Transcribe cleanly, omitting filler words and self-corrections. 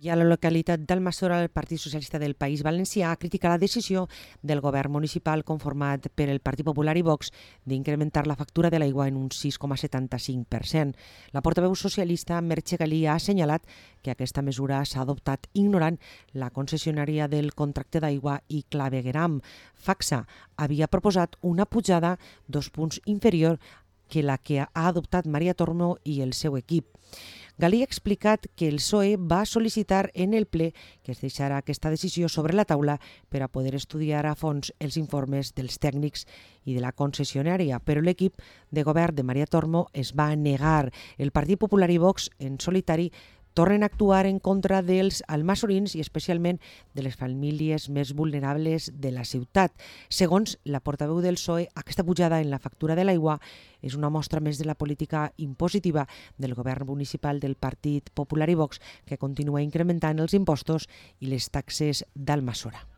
I a la localitat d'Almassora, el Partit Socialista del País Valencià critica la decisió del govern municipal conformat per el Partit Popular i Vox d'incrementar la factura de l'aigua en un 6,75%. La portaveu socialista Merche Galí ha assenyalat que aquesta mesura s'ha adoptat ignorant la concessionària del contracte d'aigua i Clavegueram. Facsa havia proposat una pujada 2 punts inferior que la que ha adoptat Maria Tormo i el seu equip. Galí ha explicat que el PSOE va sol·licitar en el ple que es deixara aquesta decisió sobre la taula per a poder estudiar a fons els informes dels tècnics i de la concessionària, però l'equip de govern de Maria Tormo es va negar. El Partit Popular i Vox, en solitari, tornen a actuar en contra dels almassorins i especialment de les famílies més vulnerables de la ciutat. Segons la portaveu del PSOE, aquesta pujada en la factura de l'aigua és una mostra més de la política impositiva del govern municipal del Partit Popular i Vox, que continua incrementant els impostos i les taxes d'Almassora.